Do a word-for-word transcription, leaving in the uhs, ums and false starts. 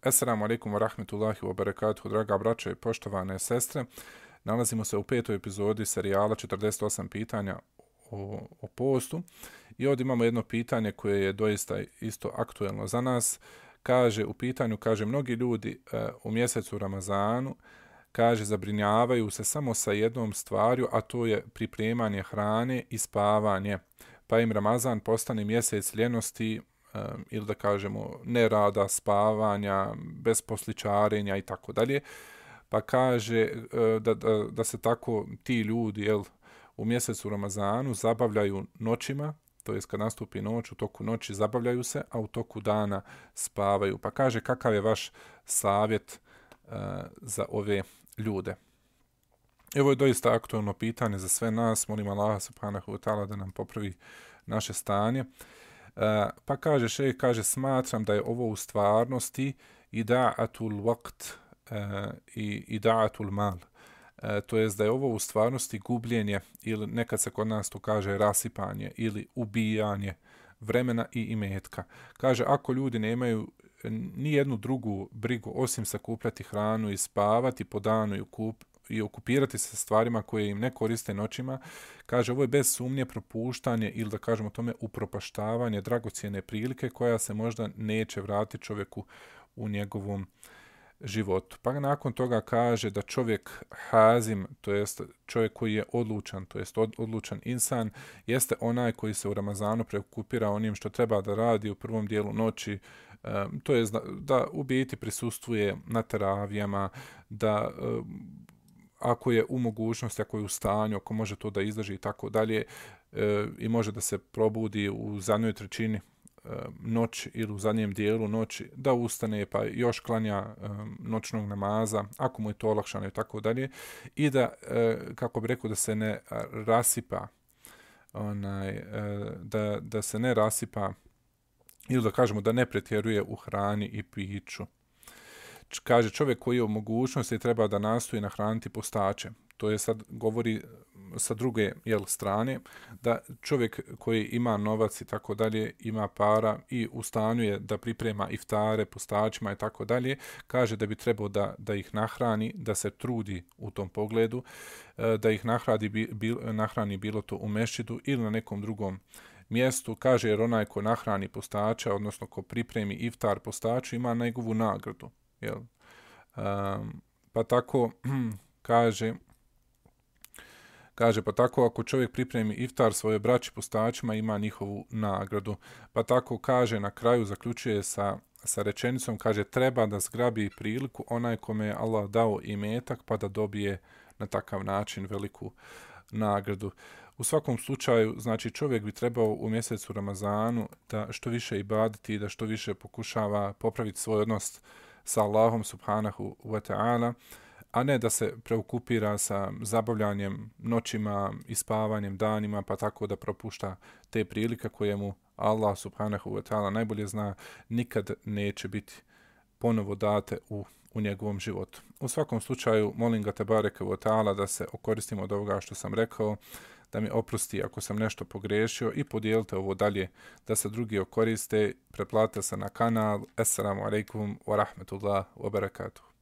Assalamu alaikum wa rahmetullahi wa barakatuhu, draga braćo i poštovane sestre. Nalazimo se u petoj epizodi serijala četrdeset osam pitanja o, o postu. I ovdje imamo jedno pitanje koje je doista isto aktuelno za nas. Kaže, u pitanju, kaže, mnogi ljudi e, u mjesecu Ramazanu, kaže, zabrinjavaju se samo sa jednom stvarju, a to je pripremanje hrane i spavanje. Pa im Ramazan postane mjesec ljenosti, Um, ili da kažemo nerada, spavanja, besposličarenja i tako dalje. Pa kaže uh, da, da, da se tako ti ljudi jel, u mjesecu Ramazanu zabavljaju noćima, to jest kad nastupi noć, u toku noći zabavljaju se, a u toku dana spavaju. Pa kaže kakav je vaš savjet uh, za ove ljude. Evo je doista aktualno pitanje za sve nas. Molim Allaha subhanahu wa ta'ala da nam popravi naše stanje. Uh, pa kaže šejh, kaže, smatram da je ovo u stvarnosti ida'atul waqt uh, i ida'atul mal. Uh, to jest da je ovo u stvarnosti gubljenje, ili nekad se kod nas to kaže rasipanje ili ubijanje vremena i imetka. Kaže, ako ljudi nemaju ni jednu drugu brigu osim sakupljati hranu i spavati po danu i kup i okupirati se stvarima koje im ne koriste noćima, kaže, ovo je bez sumnje propuštanje ili da kažemo tome upropaštavanje dragocjene prilike koja se možda neće vratiti čovjeku u njegovom životu. Pa nakon toga kaže da čovjek hazim, to jest čovjek koji je odlučan, to jest od, odlučan insan, jeste onaj koji se u Ramazanu preokupira onim što treba da radi u prvom dijelu noći, um, to jest da, da u biti prisustvuje na teravijama, da um, ako je u mogućnosti, ako je u stanju, ako može to da izdrži i tako dalje, e, i može da se probudi u zadnjoj trećini e, noći ili u zadnjem dijelu noći, da ustane pa još klanja e, noćnog namaza, ako mu je to olakšano i tako dalje, i da, e, kako bi rekao, da se ne rasipa, onaj, e, da, da se ne rasipa, ili da kažemo da ne pretjeruje u hrani i piću. Kaže, čovjek koji je u mogućnosti treba da nastoji nahraniti postače. To je sad govori sa druge jel, strane, da čovjek koji ima novac i tako dalje, ima para i u stanju je da priprema iftare postačima i tako dalje, kaže da bi trebao da, da ih nahrani, da se trudi u tom pogledu, da ih nahrani, bil, nahrani bilo to u mešćidu ili na nekom drugom mjestu. Kaže, jer onaj ko nahrani postača, odnosno ko pripremi iftar postaču, ima njegovu nagradu. Jel? Um, pa tako kaže kaže pa tako ako čovjek pripremi iftar svoje braći postačima, ima njihovu nagradu. Pa tako kaže na kraju, zaključuje sa, sa rečenicom, kaže, treba da zgrabi priliku onaj kome je Allah dao imetak pa da dobije na takav način veliku nagradu. U svakom slučaju, znači, čovjek bi trebao u mjesecu Ramazanu da što više ibadeti, da što više pokušava popraviti svoj odnos sa Allahom subhanahu wa ta'ala, a ne da se preokupira sa zabavljanjem noćima i spavanjem danima, pa tako da propušta te prilike koje mu Allah subhanahu wa ta'ala najbolje zna, nikad neće biti ponovo date u, u njegovom životu. U svakom slučaju, molim ga tebareke wa ta'ala da se okoristimo od ovoga što sam rekao, da mi oprosti ako sam nešto pogrešio i podijelite ovo dalje da se drugi okoriste, pretplatite se na kanal. Assalamu alaikum wa rahmetullah wa barakatuh.